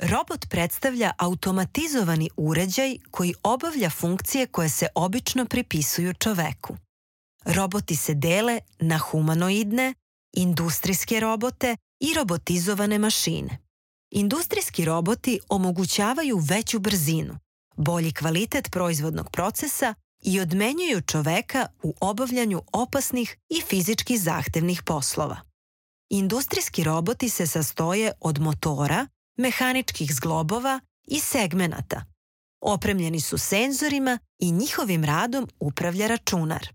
Robot predstavlja automatizovani uređaj koji obavlja funkcije koje se obično pripisuju čoveku. Roboti se dele na humanoidne, industrijske robote i robotizovane mašine. Industrijski roboti omogućavaju veću brzinu, bolji kvalitet proizvodnog procesa i odmenjuju čoveka u obavljanju opasnih i fizički zahtevnih poslova. Industrijski roboti se sastoje od motora, mehaničkih zglobova i segmenata. Opremljeni su senzorima i njihovim radom upravlja računar.